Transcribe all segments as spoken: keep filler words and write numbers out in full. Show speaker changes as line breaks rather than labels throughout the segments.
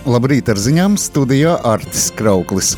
Labrīt ar ziņām, studijā Artis Krauklis.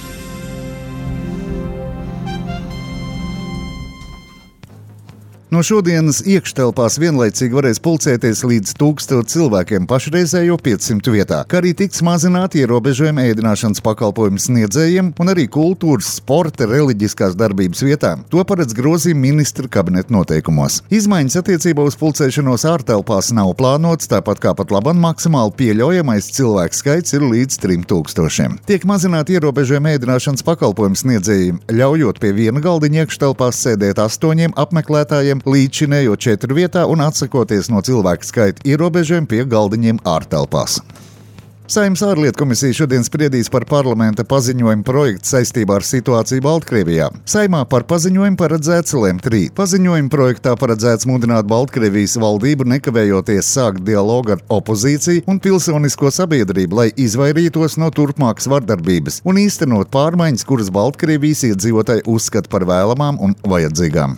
No šodienas iekštelpās vienlaicīgi varēs pulcēties līdz tūkstoš cilvēkiem pašreizējo piecsimt vietā, kā arī tiks mazināti ierobežojumi ēdināšanas pakalpojumu sniedzējiem un arī kultūras, sporta, reliģiskās darbības vietām. To paredz grozījumi ministra kabineta noteikumos. Izmaiņas attiecībā uz pulcēšanos ārtelpās nav plānots, tāpat kā pat labam maksimāli pieļaujamais cilvēku skaits ir līdz trim tūkstošiem. Tiek mazināti ierobežojumi ēdināšanas pakalpojumu sniedzējiem, ļaujot pie viena galdiņa iekštelpās sēdēt astoņiem apmeklētājiem līdzinējo četru vietā un atsakoties no cilvēku skaita ierobežojumiem pie galdiņiem ārtelpās. Saeimas ārlietu komisija šodien spriedīs par parlamenta paziņojumu projektu saistībā ar situāciju Baltkrievijā. Saeimā par paziņojumu paredzēts lemt rīt. Paziņojuma projektā paredzēts mudināt Baltkrievijas valdību nekavējoties sākt dialogu ar opozīciju un pilsonisko sabiedrību, lai izvairītos no turpmākas vardarbības un īstenot pārmaiņas, kuras Baltkrievijas iedzīvotāji uzskata par vēlamām un vajadzīgām.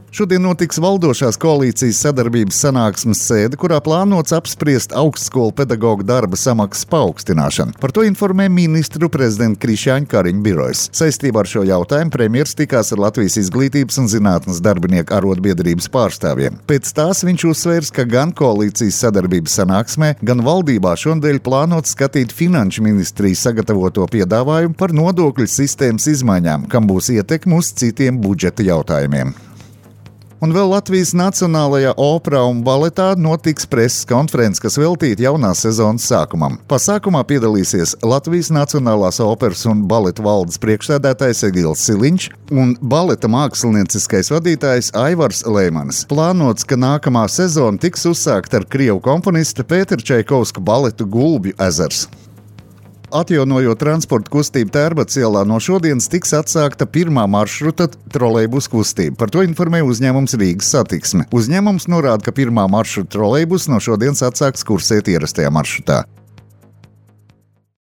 Šodien notiks valdošās koalīcijas sadarbības sanāksmes sēde, kurā plānots apspriest augstskolu pedagoģu darba samaksas paaugstināšanu. Par to informē ministru prezidenta Krišjāņa Kariņa birojas. Saistībā ar šo jautājumu premjers tikās ar Latvijas izglītības un zinātnes darbinieku arotbiedrības pārstāvjiem. Pēc tās viņš uzsvērs, ka gan koalīcijas sadarbības sanāksmē, gan valdībā šonadēļ plānots skatīt finanšu ministrijas sagatavoto piedāvājumu par nodokļu sistēmas izmaiņām, kam būs ietekme uz citiem budžeta jautājumiem. Un vēl Latvijas Nacionālajā operā un baletā notiks preses konferences, kas veltīta jaunās sezonas sākumam. Pasākumā piedalīsies Latvijas Nacionālās operas un baleta valdes priekšsēdētājs Egils Siliņš un baleta mākslinieckais vadītājs Aivars Leimanis. Plānots, ka nākamā sezona tiks uzsākta ar krievu komponista Pētera Čaikovska baletu Gulbju ezers. Atjaunojot transporta kustību Tērbatas ielā, no šodienas tiks atsākta pirmā maršruta trolejbusu kustība. Par to informē uzņēmums Rīgas Satiksme. Uzņēmums norāda, ka pirmā maršruta trolejbus no šodienas atsāks kursēt ierastajā maršrutā.